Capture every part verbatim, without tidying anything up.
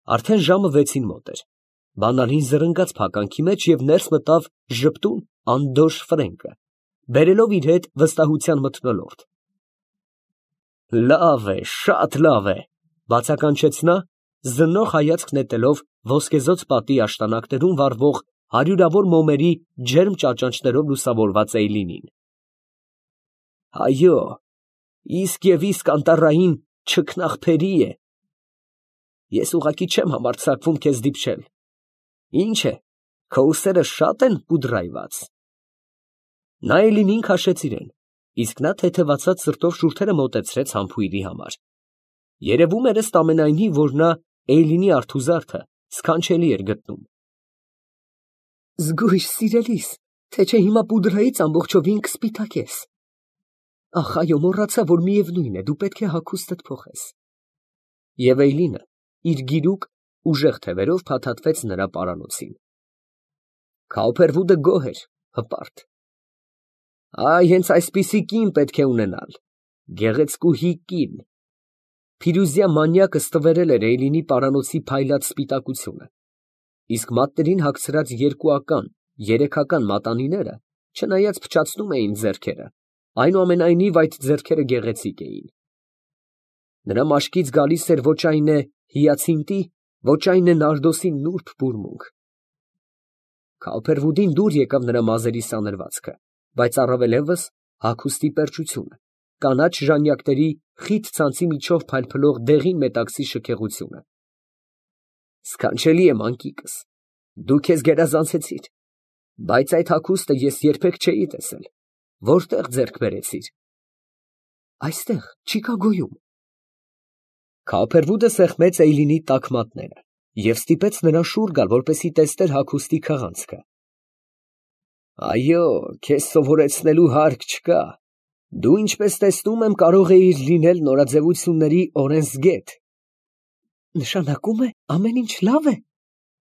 Արդեն ժամը վեցին մոտ էր։ Բանալին զռնգաց փականքի մեջ և ներս մտավ ժպտուն անդորր Ֆրենկը, բերելով իր հետ վստահության մթնոլորտ։ «Լավ է, շատ լավ է», ֊ բացականչեց նա, զննող հայացք նետելով ոսկեզօծ պատի աշտանակներում վառվող հարյուրավոր մոմերի ջերմ ճաճանճներով լուսավորված Էյլինին։ «Այո, իսկ և իսկ անտառային չքնաղբերի է։ Ես ուղղակի չեմ համարձակվում քեզ դիպչել։ Ի՞նչ է, քո ուսերը շա՞տ են պուդրայված»։ Նա Էյլինին քաշեց իրան, իսկ նա թեթևացած սրտով շուրթերը մոտեցրեց համբույրի համար. երևում էր ըստ ամենայնի, որ նա Էյլինի արթուզարդը սքանչելի էր գտնում։ Զգույշ, սիրելիս, թե չէ հիմա պուդրայից ամբողջովին կսպիտակես։ Ախ, այո, մոռացա, որ միևնույն է, դու պետք է հագուստդ փոխես։ Եվ Էյլինը իր գիրուկ ուժեղ թևերով փաթաթվեց նրա պարանոցին։ Քաուփերվուդը գոհ էր, հպարտ։ Այ, հենց այսպիսի կին պետք է ունենալ, գեղեցկուհի կին։ Փիրուզյա մանյակը ստվերել էր Էյլինի պարանոցի փայլած սպիտակությունը, իսկ մատներին հագցրած երկուական, երեքական մատանիները, չնայած փչացնում էին ձեռքերը, այնուամենայնիվ այդ ձեռքերը գեղեցիկ էին։ Նրա մաշկից գալիս էր ոչ այն է հիացինտի, ոչ այն է նարդոսի նուրբ բուրմունք։ Քաուփերվուդին դուր եկավ նրա մազերի սանրվածքը, բայց առավելևս հագուստի պերճությունը, կանաչ ժանյակների խիտ ցանցի միջով փայլփլող դեղին մետաքսի շքեղությունը։ Սքանչելի է, մանկիկս, դու քեզ գերազանցեցիր, բայց այդ հագուստը ես երբեք չէի տեսել, որտե՞ղ ձեռք բերեցիր։ Այստեղ, Չիկագոյում։ Քաուփերվուդը սեղմեց Էյլինի տաք մատները և ստիպեց նրան շուռ գալ, որպեսզի տեսներ հագուստի քղանցքը։ Այո, քեզ սովորեցնելու հարկ չկա, դու, ինչպես տեսնում եմ, կարող էիր լինել նորաձևությունների օրենսգետ։ Նշանակում է, ամեն ինչ լավ է։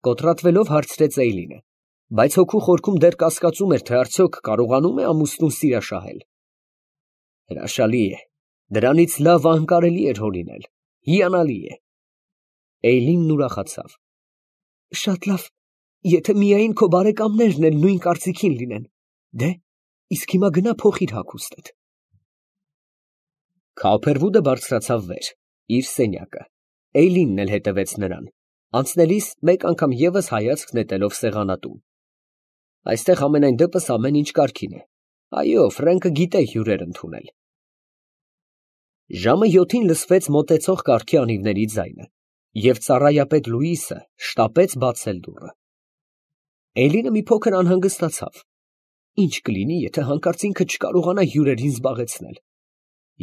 Կոտրատվելով հարցրեց Էյլինը, բայց հոգու խորքում դեռ կասկածում էր, թե արդյոք կարողանում է ամուսնուն սիրաշահել։ Հրաշալի է, դրանից լավ անկարելի էր հորինել, հիանալի է։ Էյլինն ուրախացավ։ Շատ լավ, եթե միայն քո բարեկամներն էլ նույն կարծիքին լինեն։ Դե, իսկ հիմա գնա փոխիր հագուստդ։ Քաուփերվուդը բարձրացավ վեր, իր սենյակը, Էյլինն էլ հետևեց նրան, անցնելիս մեկ անգամ ևս հայացք նետելով սեղանատուն։ Այստեղ համենայն դեպս ամեն ինչ կարգին է։ Այո, Ֆրենկը գիտե հյուրեր ընդունել։ Ժամը յոթին լսվեց մոտեցող կառքի անիվների ձայնը, և ծառայապետ Լուիսը շտապեց բացել դուռը։ Էյլինը մի փոքր անհանգստացավ. ինչ կլինի, եթե հանկարծ ինքը չկարողանա հյուրերին զբաղեցնել,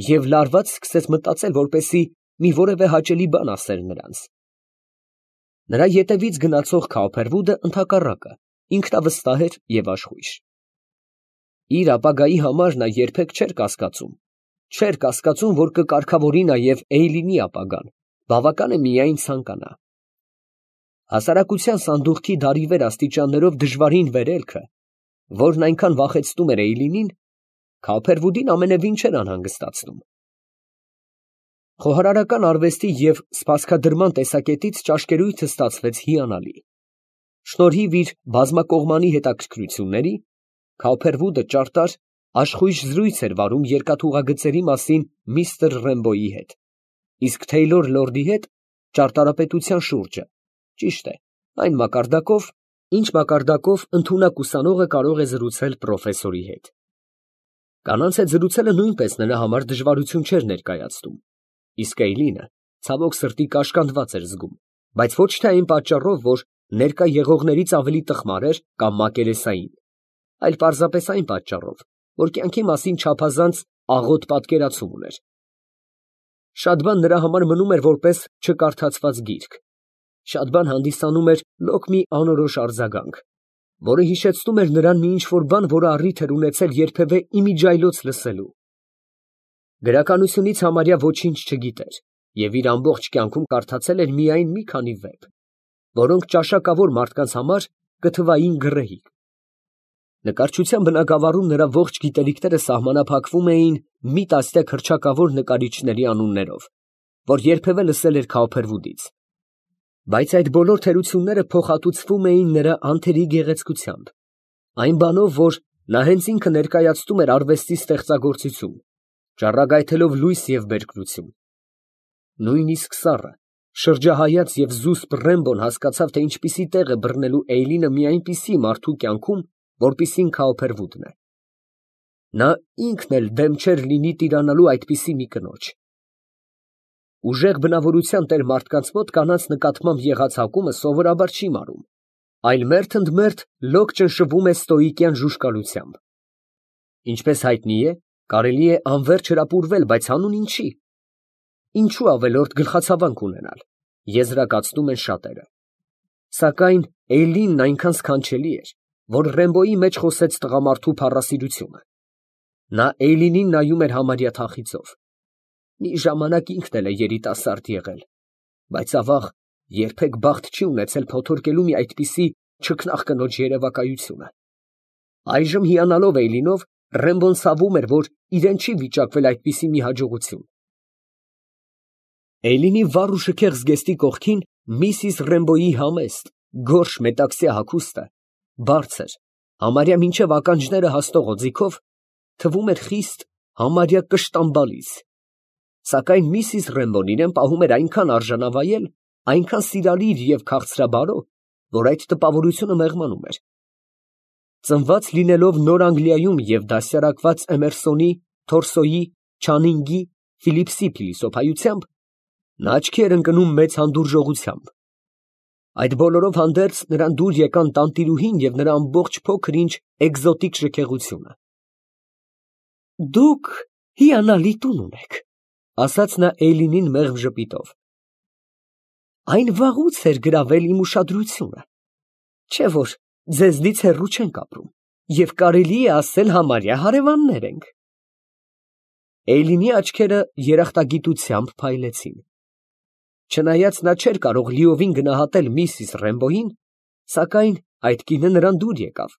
և լարված սկսեց մտածել, որպեսզի մի որևէ հաճելի բան ասեր նրանց։ Նրա ետևից գնացող Քաուփերվուդը, ընդհակառակը, ինքնավստահ էր և աշխույժ։ Իր ապագայի համար նա երբեք չէր կասկածում, չէր կասկածում, որ կկարգավորի նաև Էյլինի ապագան, բավական է միայն ցանկանա։ Հասարակության սանդուղքի դարիվեր աստիճաններով դժվարին վերելքը, որն այնքան վախեցնում էր Էյլինին, Քաուփերվուդին ամենևին չէր անհանգստացնում։ Խոհարարական արվեստի և սպասքադրման տեսակետից ճաշկերույթը ստացվեց հիանալի։ Շնորհիվ իր բազմակողմանի հետաքրքրությունների, Քաուփերվուդը ճարտար, աշխույժ զրույց էր վարում երկաթուղագծերի մասին միստր Ռեմբոյի հետ, իսկ Թեյլոր լորդի հետ ճարտարապետության շուրջը, ճիշտ է, այն մակարդակով, ինչ մակարդակով ընդունակ ուսանողը կարող է զրուցել պրոֆեսորի հետ։ Կանանց հետ զրուցելը նույնպես նրա համար դժվարություն չէր ներկայացնում, իսկ Էյլինը, ցավոք սրտի, կաշկանդված էր զգում, բայց ոչ թե այն պատճառով, որ ներկա եղողներից ավելի տխմար էր կամ մակերեսային, այլ պարզապես այն պատճառով, որ կյանքի մասին չափազանց աղոտ պատկերացում ուներ։ Շատ բան նրա համար մնում էր որպես չկարդացված գիրք, շատ բան հանդիսանում էր լոկ մի անորոշ արձագանք, որը հիշեցնում էր նրան մի ինչ֊որ բան, որը առիթ էր ունեցել երբևէ իմիջիայլոց լսելու։ Գրականությունից համարյա ոչինչ չգիտեր և իր ամբողջ կյանքում կարդացել էր միայն մի քանի վեպ, որոնք ճաշակավոր մարդկանց համար կթվային գռեհիկ։ Նկարչության բնագավառում նրա ողջ գիտելիքները սահմանափակվում էին մի տասնյակ հռչակավոր նկարիչների անուններով, որ երբևէ լսել էր Քաուփերվուդից։ բայց այդ բոլոր թերությունները փոխհատուցվում էին նրա անթերի գեղեցկությամբ, այն բանով, որ նա հենց ինքը ներկայացնում էր արվեստի ստեղծագործություն, ճառագայթելով լույս և բերկրություն։ Նույնիսկ սառը, շրջահայաց և զուսպ Ռեմբոն հասկացավ, թե ինչպիսի տեղ է բռնելու Էյլինը մի այնպիսի մարդու կյանքում, որպիսին Քաուփերվուդն է։ Նա ինքն էլ դեմ չէր լինի տիրանալու այդպիսի մի կնոջ։ Ուժեղ բնավորության տեր մարդկանց մոտ կանանց նկատմամբ եղած հակումը սովորաբար չի մարում, այլ մերթ ընդ մերթ լոկ ճնշվում է ստոիկյան ժուժկալությամբ։ Ինչպես հայտնի է, կարելի է անվերջ հրապուրվել, բայց հանուն ինչի։ Ինչու ավելորդ գլխացավանք ունենալ, եզրակացնում են շատերը։ Սակայն Էյլինն այնքան սքանչելի էր, որ Ռեմբոյի մեջ խոսեց տղամարդու փառասիրությունը։ Նա Էյլինին նայում էր համարյա թախիծով։ Մի ժամանակ ինքն էլ է երիտասարդ եղել, բայց ավաղ երբեք բախտ չի ունեցել փոթորկելու մի այդպիսի չքնաղ կնոջ երևակայությունը։ Այժմ հիանալով Էյլինով, Ռեմբոն ցավում էր, որ իրեն չի վիճակվել այդպիսի մի հաջողություն։ Էյլինի վառ ու շքեղ զգեստի կողքին միսիս Ռեմբոյի համեստ, գորշ մետաքսյա հագուստը, բարձր, համարյա մինչև ականջները հասնող օձիքով, թվում էր խիստ, համարյա կշտամբալից։ Սակայն միսիս Ռեմբոն իրեն պահում էր այնքան արժանավայել, այնքան սիրալիր և քաղցրաբարո, որ այդ տպավորությունը մեղմանում էր։ Ծնված լինելով Նոր Անգլիայում և դաստիարակված Էմերսոնի, Թորսոյի, Չանինգի, Ֆիլիպսի փիլիսոփայությամբ, նա աչքի էր ընկնում մեծ հանդուրժողությամբ։ Այդ բոլորով հանդերձ նրան դուր եկան տանտիրուհին և նրա ամբողջ փոքր-ինչ էկզոտիկ շքեղությունը։ «Դուք հիանալի տուն ունեք», ֊ ասաց նա Էյլինին մեղմ ժպիտով։ «Այն վաղուց էր գրավել իմ ուշադրությունը, չէ՞ որ ձեզնից հեռու չենք ապրում և կարելի է ասել համարյա հարևաններ ենք»։ Էյլինի աչքերը երախտագիտությամբ փայլեցին։ Չնայած նա չէր կարող լիովին գնահատել միսիս Ռեմբոյին, սակայն այդ կինը նրան դուր եկավ։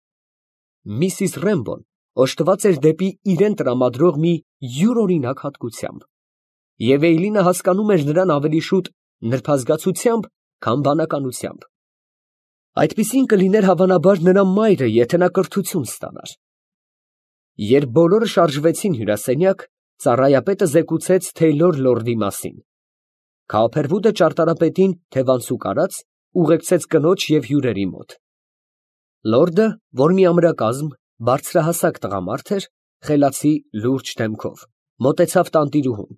Միսիս Ռեմբոն օժտված էր դեպի իրան տրամադրող մի յուրօրինակ հատկությամբ, և Էյլինը հասկանում էր նրան ավելի շուտ նրբազգացությամբ, քան բանականությամբ։ Այդպիսին կլիներ հավանաբար նրա մայրը, եթե նա կրթություն ստանար։ Երբ բոլորը շարժվեցին հյուրասենյակ, ծառայապետը զեկուցեց Թեյլոր լորդի մասին։ Քաուփերվուդը ճարտարապետին թևանցուկ արած, ուղեկցեց կնոջ և հյուրերի մոտ։ Լորդը, որ մի ամրակազմ, բարձրահասակ տղամարդ էր, խելացի լուրջ դեմքով, մոտեցավ տանտիրուհուն։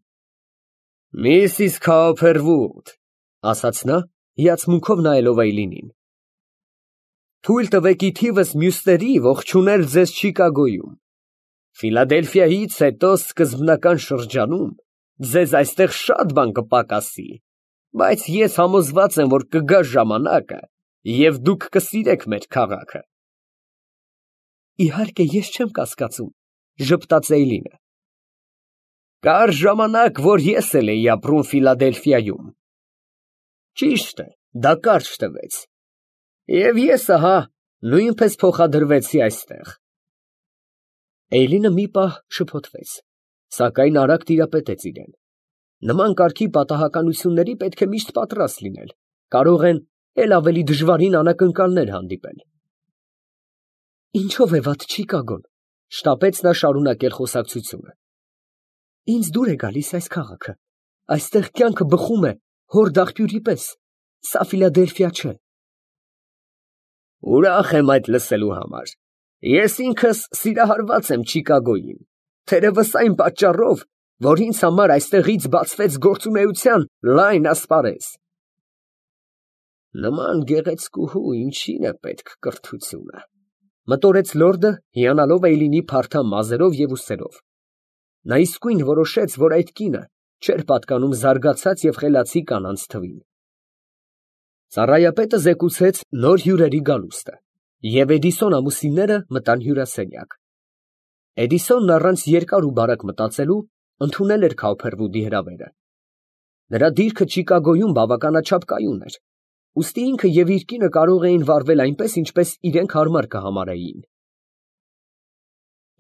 «Միսիս Քաուփերվուդ, ֊ ասաց նա, հիացմունքով նայելով Էյլինին, ֊ թույլ տվեք ի թիվս մյուսների ողջունել ձեզ Չիկագոյում։ Ֆիլադելֆիայից հետո սկզբնական շրջանում ձեզ այստեղ շատ բան կպակասի, բայց ես համոզված եմ, որ կգա ժամանակը, և դուք կսիրեք մեր քաղաքը»։ «Իհարկե, ես չեմ կասկածում, ֊ ժպտաց Էյլինը։ ֊ Կար ժամանակ, որ ես էլ էի ապրում Ֆիլադելֆիայում։ Ճիշտ է, դա կարճ տևեց, և ես ահա նույնպես փոխադրվեցի այստեղ։ Էյլինը մի պահ շփոթվեց, սակայն արագ տիրապետեց իրան։ Նման կարգի պատահականությունների պետք է միշտ պատրաստ լինել, կարող են էլ ավելի դժվարին անակնկալներ հանդիպել։ «Ինչո՞վ է վատ Չիկագոն, ֊ շտապեց նա շարունակել խոսակցությունը։ ֊ Ինձ դուր է գալիս այս քաղաքը, այստեղ կյանքը բխում է հոր դաղբյուրի պես, սա Ֆիլադելֆիա չէ»։ «Ուրախ եմ այդ լսելու համար։ Ես ինքս սիրահարված եմ Չիկագոյին, թերևս այն պատճառով, որ ինձ համար այստեղից բացվեց գործունեության լայն ասպարեզ»։ «Նման գեղեցկուհու ինչին է պետք կրթությունը, ֊ մտորեց լորդը, հիանալով Էյլինի փարթամ մազերով և ուսերով։ Նա իսկույն որոշեց, որ այդ կինը չէր պատկանում զարգացած և խելացի կանանց թվին։ Ծառայապետը զեկուցեց նոր հյուրերի գալուստը, և Էդիսոն ամուսինները մտան հյուրասենյակ։ Էդիսոնն առանց երկար ու բարակ մտածելու ընդունել էր Քաուփերվուդի հրավերը։ Նրա դիրքը Չիկագոյում բավականաչափ կայուն էր, ուստի ինքը և իր կինը կարող էին վարվել այնպես, ինչպես իրենք հարմար կհամարեին։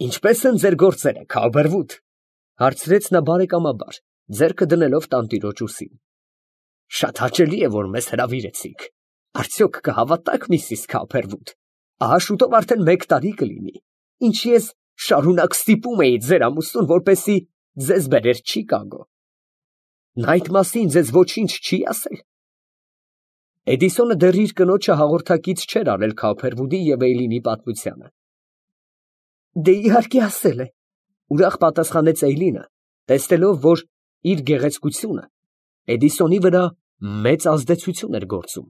«Ինչպե՞ս են ձեր գործերը, Քաուփերվուդ, ֊ հարցրեց նա բարեկամաբար, ձեռքը դնելով տանտիրոջ ուսին։ Շատ հաճելի է, որ մեզ հրավիրեցիք։ Արդյոք կհավատա՞ք, միսիս Քոփերվուդ, ահա շուտով արդեն մեկ տարի կլինի, ինչ ես շարունակ ստիպում էի ձեր ամուսնուն, որպեսզի ձեզ բերեր Չիկագո։ Նա այդ մասին ձեզ ոչինչ չի ասել։ Էդիսոնը դեռ իր կնոջը հաղորդակից չէր արել Քոփերվուդի և Էյլինի պատմությանը։ Դե իհարկե ասել է, ուրախ պատասխանեց Էյլինը, տեսնելով, որ իր գեղեցկությունը Էդիսոնի վրա մեծ ազդեցություն էր գործում։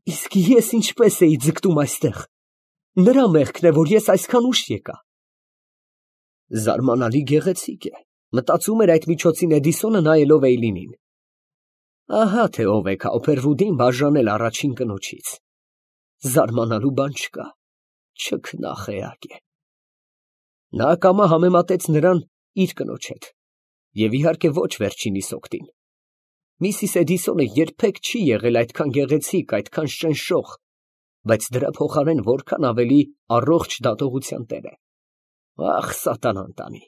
Իսկ ես ինչպես էի ձգտում այստեղ։ Նրա մեղքն է, որ ես այսքան ուշ եկա։ Զարմանալի գեղեցիկ է, մտածում էր այդ միջոցին Էդիսոնը, նայելով Էյլինին։ Ահա թե ով է Քոփերվուդին բաժանել առաջին կնոջից։ Զարմանալու բան չկա, չքնախեակ է։ Նա ակամա համեմատեց նրան իր կնոջ հետ, և իհարկե ոչ վերջինիս օգտին։ Միսիս Էդիսոնը երբեք չի եղել այդքան գեղեցիկ, այդքան շնշող, բայց դրա փոխարեն որքան ավելի առողջ դատողության տեր է։ Ախ, սատանան տանի,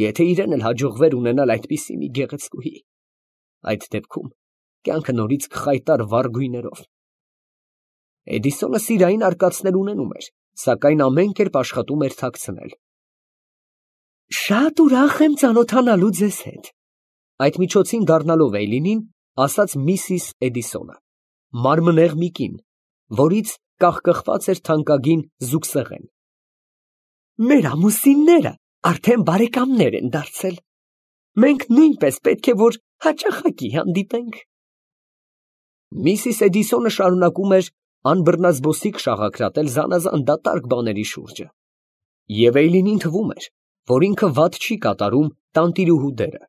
եթե իրեն էլ հաջողվեր ունենալ այդպիսի մի գեղեցկուհի, այդ դեպքում կյանքը նորից կխայտար վառ գույներով։ Էդիսոնը սիրային արկածներ ունենում էր, սակայն ամեն կերպ աշխատում էր թաքցնել։ Շատ ուրախ եմ ծանոթանալու ձեզ հետ, այդ միջոցին դառնալով Էյլինին, ասաց միսիս Էդիսոնը, մարմնեղ մի կին, որից կախկխված էր թանկագին զուգսեղեն։ Մեր ամուսինները արդեն բարեկամներ են դարձել։ Մենք նույնպես պետք է որ հաճախակի հանդիպենք։ Միսիս Էդիսոնը շարունակում էր անբռնազբոսիկ շաղակրատել զանազան դատարկ բաների շուրջը, և Էյլինին թվում էր, որ ինքը վատ չի կատարում տանտիրուհու դերը։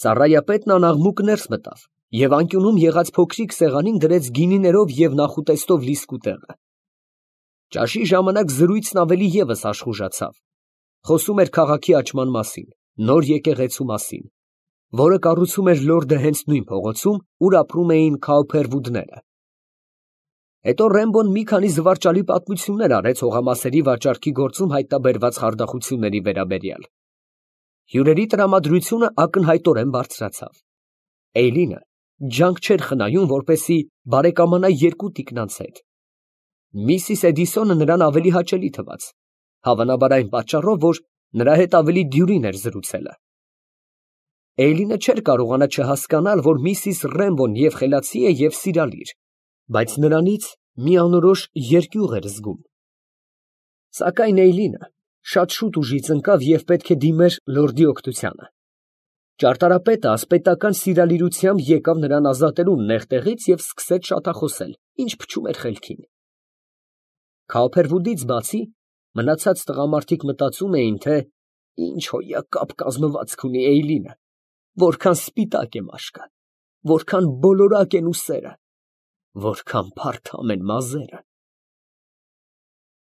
Ծառայապետն անաղմուկ ներս մտավ և անկյունում եղած փոքրիկ սեղանին դրեց գինիներով և նախուտեստով լիսկու տեղը։ Ճաշի ժամանակ զրույցն ավելի ևս աշխուժացավ, խոսում էր քաղաքի աճման մասին, նոր եկեղեցու մասին, որը կառուցում էր լորդը հենց նույն փողոցում, ուր ապրում էին Քոփերվուդները։ Հետո Ռեմբոն մի քանի զվարճալի պատմություններ արեց հողամասերի վաճառքի գործում հայտնաբերված խարդախությունների վերաբերյալ։ Հյուրերի տրամադրությունը ակնհայտորեն բարձրացավ։ Էյլինը ջանք չէր խնայում, որպեսզի բարեկամանա երկու տիկնանց հետ։ Միսիս Էդիսոնը նրան ավելի հաճելի թվաց, հավանաբար այն պատճառով, որ նրա հետ ավելի դյուրին էր զրուցելը։ Էյլինը չէր կարողանա չհասկանալ, որ միսիս Ռեմբոն և խելացի է, և սիրալիր, բայց նրանից մի անորոշ երկյուղ էր զգում։ Սակայն Էյլինը շատ շուտ ուժից ընկավ և պետք է դիմեր լորդի օգնությանը։ Ճարտարապետը ասպետական սիրալիրությամբ եկավ նրան ազատելու նեղ տեղից և սկսեց շատախոսել, ինչ փչում էր խելքին։ Քոփերվուդից բացի, մնացած տղամարդիկ մտածում էին, թե ինչ հոյակապ կազմվածք ունի Էյլինը, որքան սպիտակ է մաշկը, որքան բոլորակ են ուսերը, որքան փարթամ են մազերը։